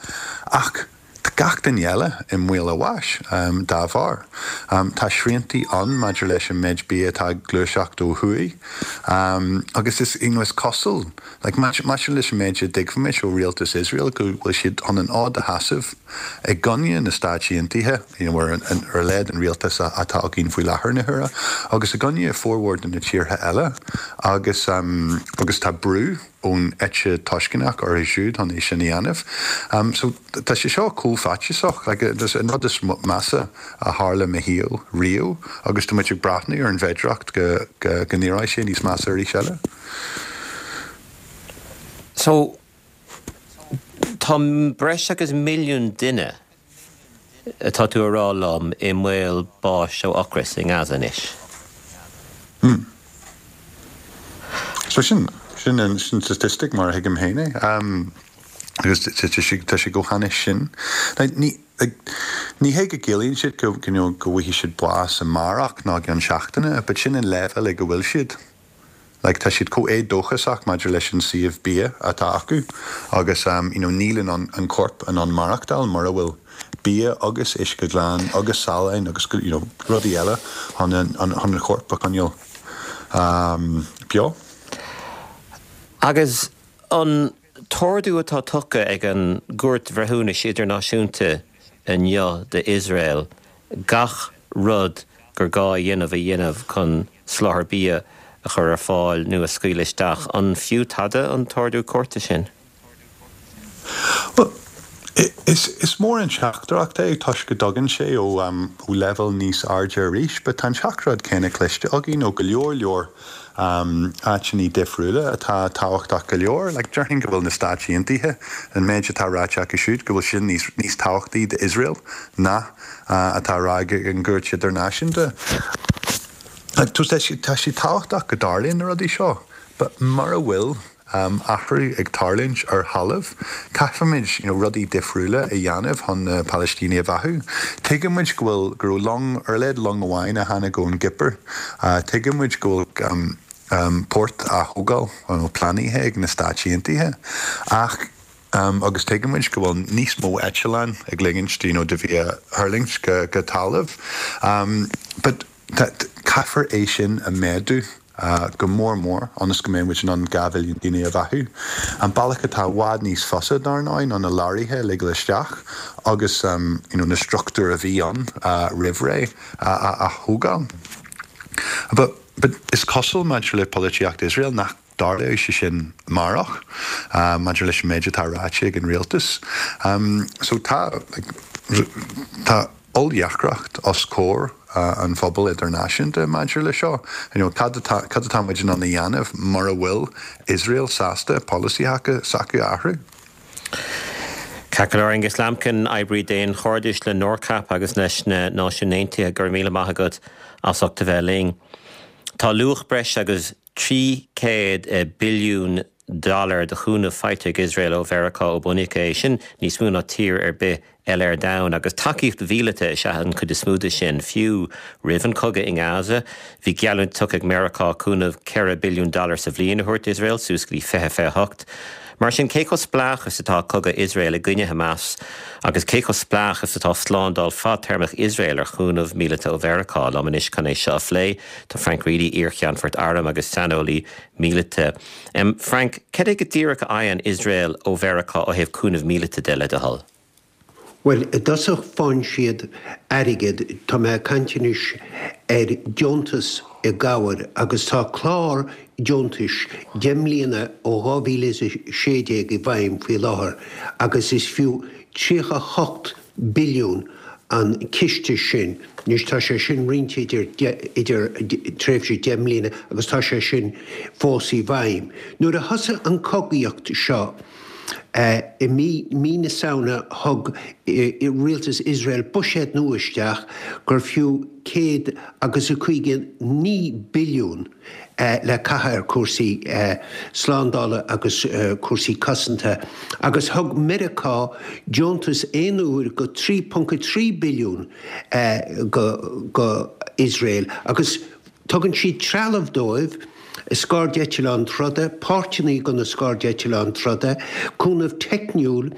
ach tá gach duine eile i mbaol a bháis um, dá bharr. Um, tá sriantaí ann maidir leis an méid bia atá ag gluaiseacht ó thuaidh. Um, agus is, you know, is cosúil like, maidir leis an méid a dtuigimid ó rialtas Iosrael go bhfuil siad chun an fhód a sheasamh i gcoinne na Stáit Aontaithe you know, ar, ar leid an rialtas atá againn faoi láthair na huaire, agus i gcoinne formhór de na tíortha eile agus, um, agus tá brú ón eite tuaisceartach orthu siúd chun é sin a dhéanamh. Um, so tá sé seo chomh faitíosach like, an rud is measa a tharla i mo shaol riamh agus tá muid ag breathnú ar an bhféidearthacht go, go, go n-éireoidh sé níos measa arís eile. So tá breis agus milliún duine atá tú a rá liom i mbaol báis ó ocras i nGaza anois. Hmm. So sin sin an sin statistic mar a thuigim féin é. Um, agus tá sé go hainnis sin. Ní ní hé go gciallaíonn siad go go bhfaighidh siad bás amárach ná i gceann seachtaine, but sin an leibhéal ag a bhfuil siad. Like, tá siad chomh éadóchasach maidir leis an suíomh bia atá acu agus um, you know, níl an, an corp in ann maireachtáil mura bhfuil bia agus uisce glan agus salann agus you know, rudaí eile chun an, an, an corp a choinneáil um, beo. Agus an t-ordú atá tugtha ag an gCúirt Bhreithiúnais Idirnáisiúnta inniu d'Iosrael gach rud gur gá a dhéanamh a dhéanamh chun soláthar bia a chur ar fáil nó a scaoileadh isteach an fiú tada an t-ordú cúirte sin? Well, is, is mór an teachtaireacht é toisc go dtagann sé ó, um, ó level níos airde arís, but tá an teachtaireacht céanna cloiste againn ó go leor leor um, áiteanna difriúla atá tábhachtach go leor, like, déarfainn go bhfuil na Stáit Aontaithe an méid atá ráite acu siúd go bhfuil sin níos, níos tábhachtaí d'Iosrael ná uh, atá rá ag an gCúirt Idirnáisiúnta. Like, tá sé tá sé tábhachtach go dtarlaíonn na rudaí seo, but mura bhfuil um, athrú ag tarlúint ar thalamh, caithfimid you know, rudaí difriúla a dhéanamh chun na Palaistínigh a bheathú. Tuigimid go bhfuil go raibh long ar a laghad long amháin a tháinig ón gCipir. Uh, Tuigimid go bhfuil um, um, port á thógáil nó pleanáilte ag na Stáit Aontaithe. Ach um, agus tuigimid go bhfuil níos mó eitleán ag ligint you know, de bhia a thuirlingt go, go talamh. Um, but caithfear é sin a méadú uh, go mór mór ionas go mbeidh muid in ann dhá mhilliún daoine a bheathú. An bealach atá i bhfad níos fusa dar ndóigh ná na leoraithe a ligean isteach agus um, you know, na struchtúir a bhí ann uh, roimh ré a, a, a thógáil. But, but is cosúil maidir le polaitíocht Iosrael nach dtarlóidh sé sin amárach uh, maidir leis an méid atá ráite ag an rialtas. Um, so tá like, tá oll-dheacracht os comhair uh, an phobal idirnáisiúnta maidir le seo. You know, cad atá cad atá muid in ann a dhéanamh mura bhfuil Iosrael sásta polasaithe s'acu a athrú. Ceart go leor Angus Lambkin oibrí daonchairdis le NORCAP agus leis na Náisiúin Aontaithe go raibh míle maith agat as ucht a bheith linn. Tá luach breis agus trí chéad billiún dollar de chúnamh faighte ag Iosrael ó Mheiriceá ó bunaíodh é sin níos mó ná tír ar bith eile ar domhan agus tacaíocht mhíleata is ea an chuid is mó de sin fiú roimh an chogadh i nGaza, bhí geallúint tugtha ag Meiriceá cúnamh ceithre billiún dollar sa bhliain a thabhairt d'Iosrael suas go dtí fiche fiche hocht. Mar sin cé chomh spleách is atá cogadh Iosrael i gcoinne Hamas agus cé chomh spleách is atá slándáil fadtéarmach Iosrael ar chúnamh míleata ó Mheiriceá liom anois chun é seo a phlé tá Frank Reidy iar-cheannfort airm agus saineolaí míleata. Um, Frank, cad é go díreach a fhaigheann Iosrael ó Mheiriceá ó thaobh cúnamh míleata de le do thoil? Well, i dtosach faigheann siad airgead tá mé ag caint anois ar deontas i gcabhair agus tá clár deontais deich mbliana ó dhá mhíle is a sé déag i bhfeidhm faoi láthair agus is fiú tríocha a hocht billiún an ciste sin. Anois tá sé sin roinnte idir idir tréimhse deich mbliana agus tá sé sin fós i bhfeidhm. Nuair a thosaigh an cogaíocht seo, I mí mí na Samhna thug rialtas Iosrael buiséad nua isteach gur fiú céad agus a caoga naoi billiún le caitheamh ar chúrsaí slándála agus cúrsaí cosanta agus thug Meiriceá deontas aon uair go trí ponc a trí billiún go go Iosrael agus Tugann siad trealamh dóibh, scairdeitleáin troda, páirteanna do na scairdeitleáin troda, cúnamh teicniúil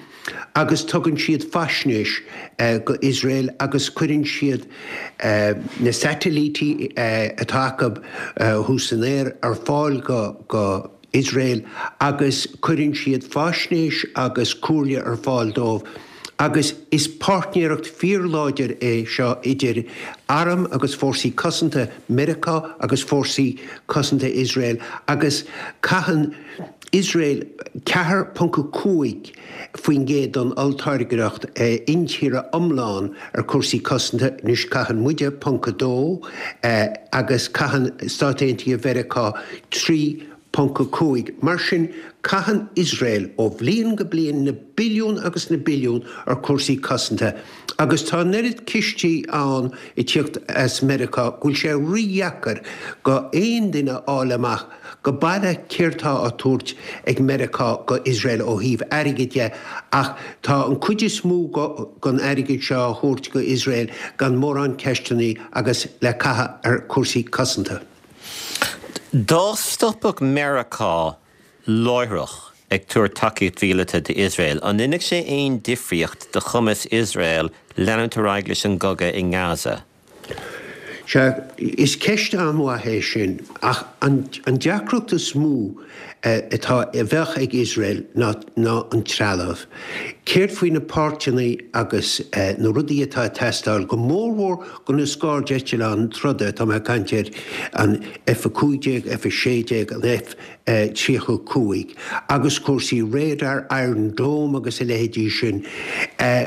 agus tugann siad faisnéis go Iosrael agus cuireann siad na satailítí atá acu thuas san aer ar fáil go Iosrael agus cuireann siad faisnéis agus comhairle ar fáil dóibh agus is páirtnéireacht fíorláidir é seo idir arm agus fórsaí cosanta Meiriceá agus fórsaí cosanta Iosrael agus caitheann Iosrael ceathair ponc a cúig faoin gcéad den olltáirgeacht intíre iomlán ar chúrsaí cosanta, anois caitheann muide ponc a dó agus caitheann Stáit Aontaithe Mheiriceá trí ponc a cúig. Mar sin, caitheann Iosrael ó bhliain go bliain na billiúin agus na billiúin ar chúrsaí cosanta agus tá an oiread cistí ann ag tíocht as Meiriceá go bhfuil sé rídheacair go aon duine fháil amach go baileach céard tá á tabhairt ag Meiriceá go Iosrael ó thaobh airgid de ach tá an cuid is mó den airgead seo á thabhairt go Iosrael gan mórán ceisteanna agus le caitheamh ar chúrsaí cosanta. Dá stopfadh Meiriceá láithreach ag tabhairt tacaíocht mhíleata d'Iosrael, an ndéanfadh sé aon difríocht do chumas Iosrael leanúint ar aghaidh leis an gcogadh i nGaza? Sea, is ceist an-mhaith é sin, ach an deacracht is mó atá, a bheadh ag Iosrael ná ná an trealamh. Céard faoi na páirteanna agus na rudaí atá ag teastáil, go mórmhór do na scairdeitleáin troda, tá mé ag caint ar an F a cúig déag, F a sé déag, an F tríocha a cúig, agus cúrsaí radar, Iron Dome agus a leithéidí sin.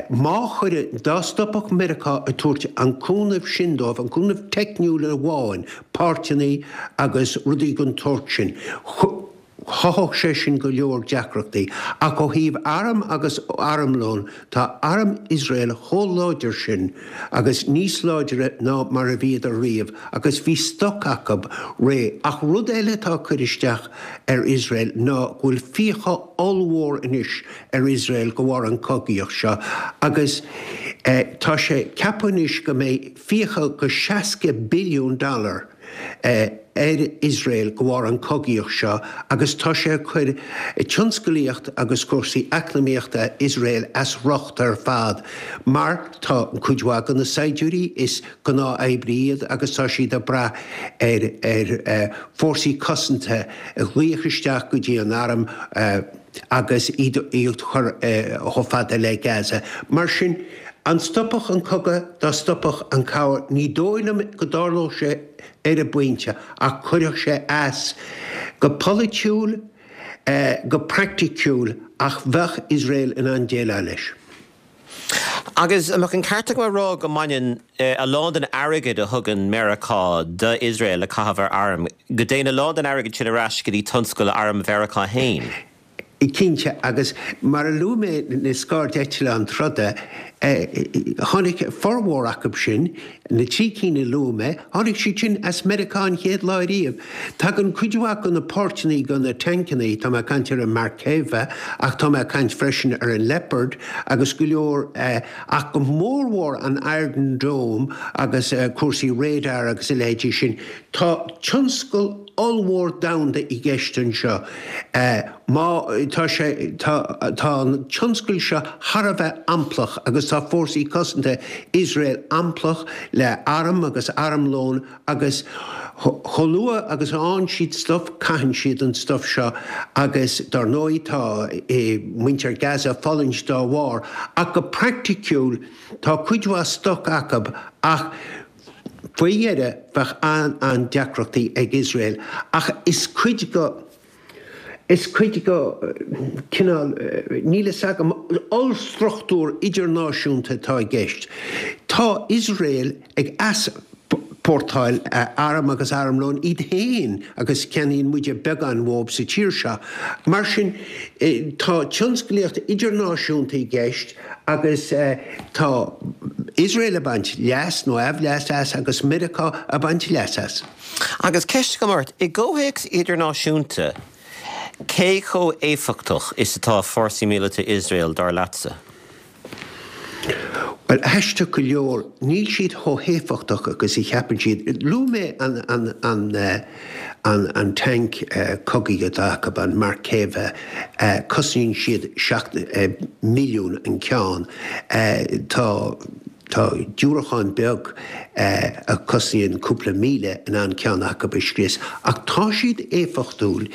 Má chuireadh, dá stopfadh Meiriceá ag tabhairt an cúnamh sin dóibh, an cúnamh teicniúil amháin, páirteanna agus rudaí den tsórt sin, chothódh sé sin go leor deacrachtaí. Ach ó thaobh arm agus armlón, tá arm Iosrael chomh láidir sin agus níos láidre ná mar a bhíodar riamh agus bhí stoc acu réidh. Ach rud eile atá ag cur isteach ar Iosrael ná go bhfuil fiacha ollmhór anois ar Iosrael de bharr an chogaíocht seo agus tá sé ceaptha anois go mbeidh fiacha go seasca billiún dollar ar Iosrael de bharr an chogaíocht seo agus tá sé ag cur tionscalaíocht agus cúrsaí eacnamaíochta Iosrael as riocht ar fad mar tá cuid mhaith de na saighdiúirí, is gnáth-oibrithe iad agus tá siad ag brath ar ar fórsaí cosanta a ghlaoch isteach go dtí an arm agus iad a chur chomh fada le Gaza. Mar sin, an stopfadh an cogadh dá stopfadh an cabhair? Ní dóigh liom go dtarlódh sé ar an bpointe ach chuirfeadh sé as go polaitiúil, go praiticiúil ach bheadh Iosrael in ann déileáil leis. Agus an mbeadh an ceart agam a rá go mbaineann a lán den airgead a thugann Meiriceá d'Iosrael le caitheamh ar airm, go dtéann a lán den airgead sin ar ais go dtí tionscal airm Mheiriceá féin? Cinnte, agus mar a luaigh mé na scairdeitleáin troda, tháinig formhór acu sin, na trí cinn a luaigh mé, tháinig siad sin as Meiriceá an chéad lá riamh. Tagann cuid mhaith de na páirteanna do na tancanna, tá mé ag caint ar an Merkava ach tá mé ag caint freisin ar an Leopard agus go leor, ach go mórmhór an Iron Dome agus cúrsaí radar agus a leithéidí sin. Tá tionscal ollmhór domhanda i gceist anseo. Má tá sé, tá, tá an tionscal seo thar a bheith amplach agus tá fórsaí cosanta Iosrael amplach le arm agus armlón agus chomh luath agus a fhaigheann siad stuif, caitheann siad an stuif seo agus dar ndóigh tá muintir Gaza ag fulaingt dá bharr. Ach go praiticiúil tá cuid mhaith stoc acu ach Faoi dheireadh, bheadh an-an-deacrachtaí ag Iosrael, ach is cuid go, is cuid go cineál, níl fhios agam, ollstruchtúr idirnáisiúnta atá i gceist. Tá Iosrael ag easpórtáil arm agus armlón iad féin agus ceannaíonn muide beagán uathu sa tír seo. Mar sin, tá tionsclaíocht idirnáisiúnta i gceist agus tá Iosrael ag baint leas nó aimhleas as agus Meiriceá ag baint leas as. Agus ceist agam ort, i gcomhthéacs idirnáisiúnta, cé chomh éifeachtach is atá fórsaí míleata Iosrael, dar leatsa? Bhuel, Bhuel, aisteach go leor, níl siad chomh héifeachtach agus a cheapann siad. Luaigh mé an, an, an, an, an tanc cogaidh atá acu, an Merkava, cosnaíonn siad seacht milliún an ceann. Tá, tá diúracán beag a chosnaíonn cúpla míle in ann ceann acu a scrios. Ach tá siad éifeachtúil.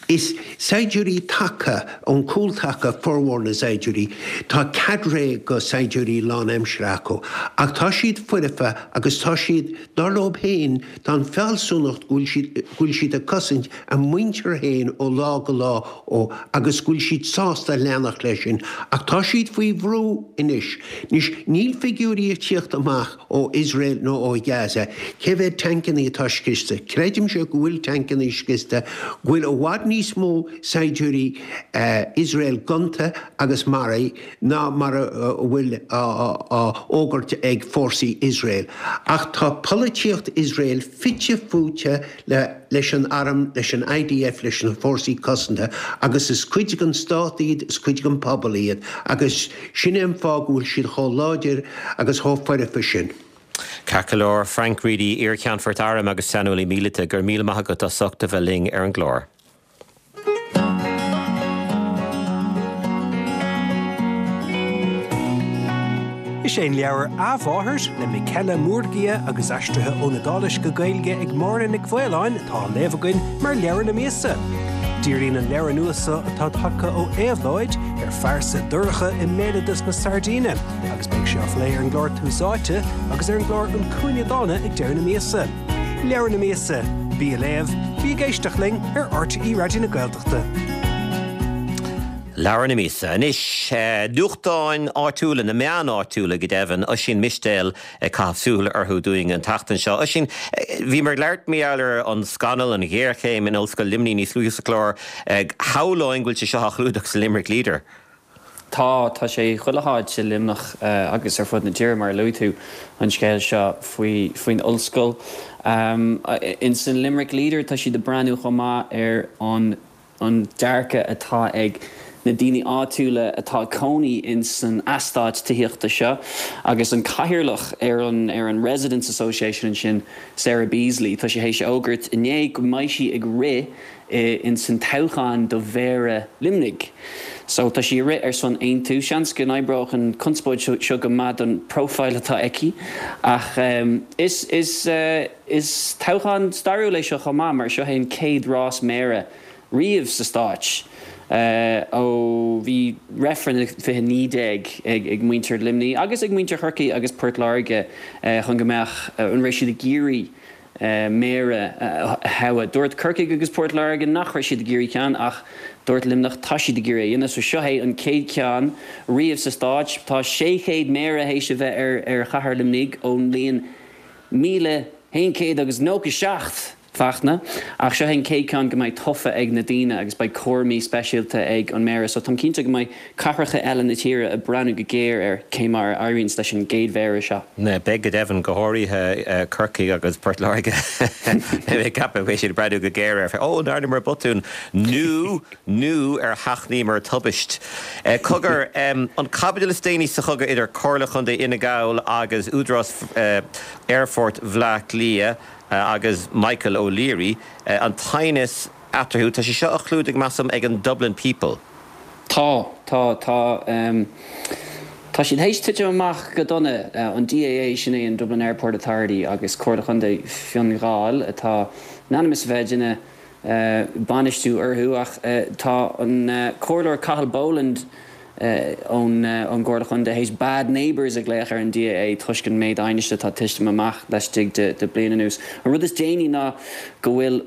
Is saighdiúirí taca ón gcúltaca formhór na saighdiúirí. Tá cadre de shaighdiúirí lánaimseartha acu, ach tá siad foirfe agus tá siad, dar leo féin, tá an fealsúnacht go bhfuil siad, go bhfuil siad ag cosaint a muintir féin ó lá go lá ó agus go bhfuil siad sásta leanacht leis sin. Ach tá siad faoi bhrú anois. Anois, níl figiúirí ag tíocht amach ó Iosrael nó ó Ghaza cé mhéad tancannaí atá scriosta. Creidimse go bhfuil tancannaí scriosta, go bhfuil i bhfad níos mó saighdiúirí Iosrael gonta agus maraithe ná mar a bhfuil á fhógairt ag fórsaí Iosrael. Ach tá polaitíocht Iosrael fite fuaite leis an arm, leis an IDF, leis na fórsaí cosanta agus is cuid den stát iad, is cuid den pobal iad agus sin é an fáth go bhfuil siad chomh láidir agus chomh foirfe sin. Ceart go leor, Frank Reidy, iar-cheannfort airm agus saineolaí míleata, go raibh míle maith agat as ucht a bheith linn ar an gclár. Is é an leabhar A Mháthair le Michela Murgia agus aistrithe ón Iodáilis go Gaeilge ag Máire Nic Mhaoláin atá á léamh againn mar leabhar na míosa. Díríonn an leabhar nua seo atá tagtha ó Éabhlóid ar phearsa dorcha i mbéaloideas na Sairdíne agus beidh sé á phlé ar an gclár Tús Áite agus ar an gclár An Cúinne Dána ag deireadh na míosa. Leabhar na míosa, bí á léamh, bí ag éisteacht linn ar RTÉ Raidió na Gaeltachta. Leabhar na míosa. Anois, nuachtáin áitiúla, na meáin áitiúla go deimhin, Oisín Mistéil ag caitheamh súil orthu dúinn an tseachtain seo. Oisín, bhíomar ag labhairt mar gheall ar an scannal, an ghéarchéim in Ollscoil Luimnigh níos luaithe sa chlár. Shamhlóinn go bhfuil sé seo á chlúdach sa Limerick Leader. Tá, tá sé chuile háit i Luimneach agus ar fud na tíre, mar a luaigh tú, an scéal seo faoi, faoin ollscoil. Ins an Limerick Leader tá siad ag breathnú chomh maith ar an an dearcadh atá ag na daoine áitiúla atá ag cónaí ins an eastát tithíochta seo agus an cathaoirleach ar an ar an Residents Association ansin, Sarah Beasley, tá sí théis a fhógairt inné go mbeidh sí ag rith ins an toghchán do Mhéara Luimnigh. So tá sí ag rith ar son Aontú. Seans go n-oibreodh an conspóid seo go maith don profile atá aici ach is is is toghchán stairiúil é seo chomh maith mar seo é an chéad rás méara riamh sa stáit ó bhí reifreann i fiche naoi déag ag muintir Luimnigh agus ag muintir Chorcaí agus Port Láirge chun go mbeadh, an raibh siad ag iarraidh méara a thoghadh. Dúirt Corcaigh agus Port Láirge nach raibh siad ag iarraidh ceann ach dúirt Luimneach tá siad ag iarraidh a dhéanamh. So seo é an chéad cheann riamh sa stáit. Tá sé chéad méara théis a bheith ar chathair Luimnigh ón mbliain míle haon chéad agus nócha seacht. Fachtna, Ach seo é an chéad ceann go mbeidh tofa ag na daoine agus beidh cúraimí speisialta ag an méara so táim cinnte go mbeidh cathracha eile na tíre ag breathnú go géar ar cé mar a éiríonns leis an gcéad mhéara seo. Beidh go deimhin, go háirithe Corcaigh agus Port Láirge. Beidh mé ag ceapadh go mbeidh siad ag breathnú go géar ar, ó, an ndearnamar botún nó, nó ar sheachnaíomar tubaist. Cogar, an chaibidil is déanaí sa chogadh idir Comhairle Chontae Fhine Gall agus Údarás Aerfort Bhaile Átha Cliath, agus Michael O'Leary, an t-aighneas eatarthu. Tá sé seo á chlúdach, measaim, ag an Dublin People. Tá, tá, tá. Tá siad théis titim amach go dona, an DAA, sin é an Dublin Airport Authority, agus Comhairle Chontae Fhine Gall atá in ainm is a bheith ag déanamh bainistiú orthu ach tá an Comhairleoir Cathal Boland, ón gComhairle Chontae théis 'bad neighbours' a ghlaoch ar an DAA toisc an méid aighnis atá titim amach laistigh de bliain anuas. An rud is déanaí ná go bhfuil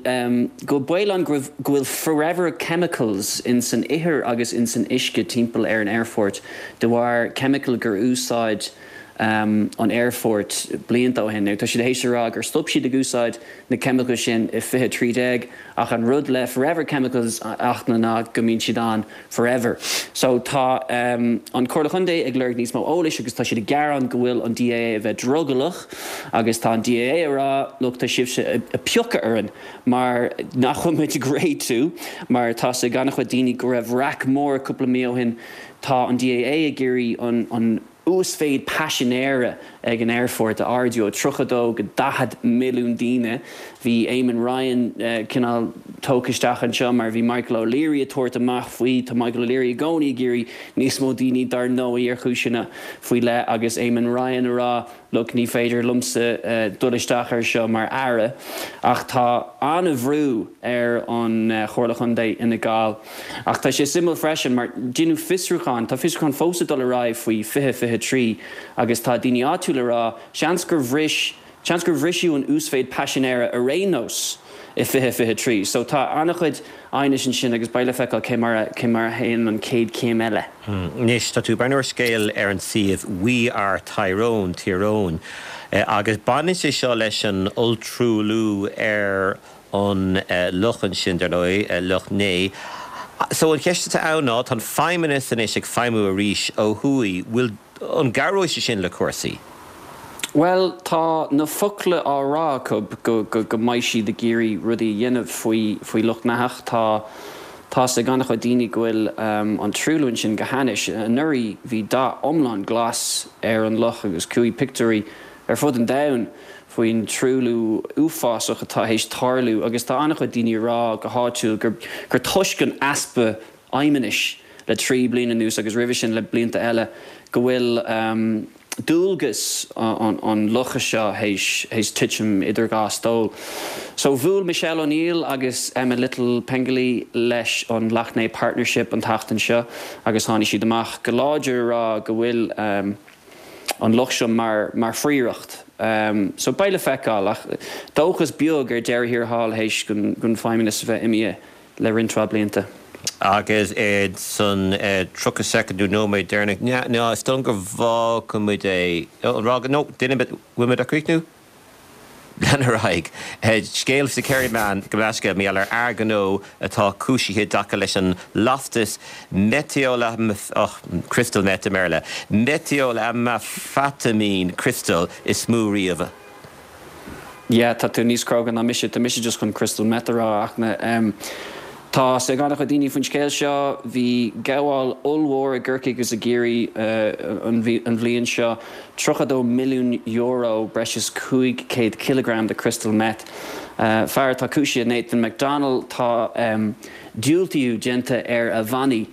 go bhfuil baol ann go bhfuil forever chemicals in san ithir agus in san uisce timpeall ar an aerfort de bharr ceimiceáil gur úsáid an aerfort blianta ó shin. Now tá siad théis a rá gur stop siad ag úsáid na ceimiceáil sin i fiche trí déag ach an rud le forever chemicals a Fhachtna ná go mbíonn siad ann forever. So tá an Comhairle Chontae ag lorg níos mó eolais agus tá siad ag gearán go bhfuil an DAA a bheith drogallach agus tá an DAA ag rá look tá sibhse ag piocadh orainn mar nach bhfuil muid ag réitiú mar tá 's ag an-chuid daoine go raibh raic mór cúpla mí ó shin tá an DAA ag iarraidh an an uasmhéid paisinéara ag an aerfort a ardú ó tríocha dó go daichead milliún daoine. Bhí Eamon Ryan cineál tógtha isteach anseo mar bhí Michael O'Leary ag tabhairt amach faoi. Tá Michael O'Leary i gcónaí ag iarraidh níos mó daoine dar ndóigh ar chúiseanna faoi leith agus Eamon Ryan ag rá look ní féidir liomsa dul isteach ar seo mar aire. Ach tá an-bhrú ar an Chomhairle Chontae Fhine Gall. Ach tá sé suimiúil freisin mar deineadh fiosrúchán, tá fiosrúchán fós ag dul ar aghaidh faoi fiche fiche trí agus tá daoine áitiúla ag rá seans gur bhris, seans gur bhriseadh an uasmhéid paisinéara ar aon nós i fiche fiche trí. So tá an-chuid aighnis ansin agus beidh le feiceáil cé mar a, cé mar a théann an chéad chéim eile. Anois, tá tú ag breathnú ar scéal ar an suíomh We Are Tyrone, Tír Eoghain, agus baineann sé seo leis an olltruailliú ar an loch ansin, dar ndóigh, Loch Né. So an cheist atá ann ná, tá an Feidhmeannas anois ag feidhmiú arís ó thuaidh, bhfuil, an gcabhróidh sé sin le cúrsaí? Bhuel, tá na focla á rá acu go go mbeidh siad ag iarraidh rudaí a dhéanamh faoi faoi Loch Neathach. Tá tá's ag an-chuid daoine go bhfuil an truailliú ansin go hainnis. Anuraidh bhí dath iomlán glas ar an loch agus chuaigh pictiúirí ar fud an domhain faoin truailliú uafásach atá théis tarlú agus tá an-chuid daoine ag rá go háitiúil gur gur toisc an easpa fheidhmeannais le trí bliana anuas agus roimhe sin le blianta eile go bhfuil dualgas an locha seo théis théis titim idir dhá stól. So bhuail Michelle O'Neill agus Emma Little Pengelly leis an Lough Neagh Partnership an tseachtain seo agus tháinig siad amach go láidir ag rá go bhfuil an loch seo mar mar phríoracht. So beidh le feiceáil ach dóchas beag ar deireadh thiar thall théis don Feidhmeannas a bheith imithe le roinnt mhaith blianta. Agus san tríocha soicind nó nóiméad deireanach, ná is dóigh liom go bhfágfaidh muid é, nó duine, bhfuil muid á chríochnú? Lean ar aghaidh. Scéal sa Kerryman gabh mo leithscéal, mar gheall ar fhear gnó atá cúisithe i dtaca leis an lastas meitiolamh, crystal meth i mBéarla, meitiolamfataimín criostail is mó riamh. Yeah, tá tú níos cróga ná mise, tá mise just chun crystal meth a rá ach na em tá 's ag an-chuid daoine faoin scéal seo, bhí gabháil ollmhór i gCorcaigh agus i gCiarraí an an bhliain seo, tríocha dó milliún euro, breis is cúig chéad cileagram de crystal meth. Fear atá cúisithe, Nathan McDonnell, tá em diúltaíú déanta ar a bhannaí,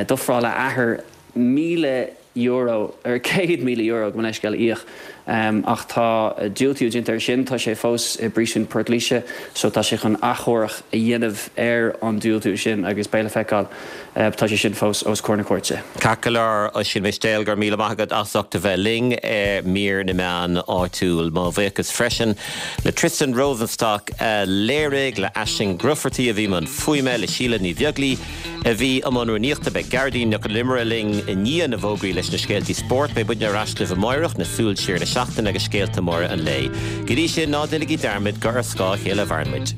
d'ofráil a athair míle euro, ar céad míle euro, gabh mo leithscéal, a íoc ach tá diúltaíú déanta air sin, tá sé fós i bpríosún Port Laoise so tá sé chun achomharc a dhéanamh ar an diúltú sin agus beidh le feiceáil, tá sé sin fós os comhair na cúirte. Ceart go leor, Oisín Mistéil, go raibh míle maith agat as ucht a bheith linn ar mír na meán áitiúil. Mo bhuíochas freisin le Tristan Rosenstock a léirigh, le Aisling Grufferty a bhí i mbun fuaime, le Síle Ní Bheaglaoi, a bhí i mbun rúnaíochta. Beidh Gearóidín Nic Con Iomaire linn i ndiaidh na bhfógraí leis na scéaltaí spóirt. Beidh muidne ar ais libh amáireach, le súil siar ar an seachtain agus scéalta móra an lae. Go dtí sin, ná déanaigí dearmad gur ar scáth a chéile a mhaireann muid.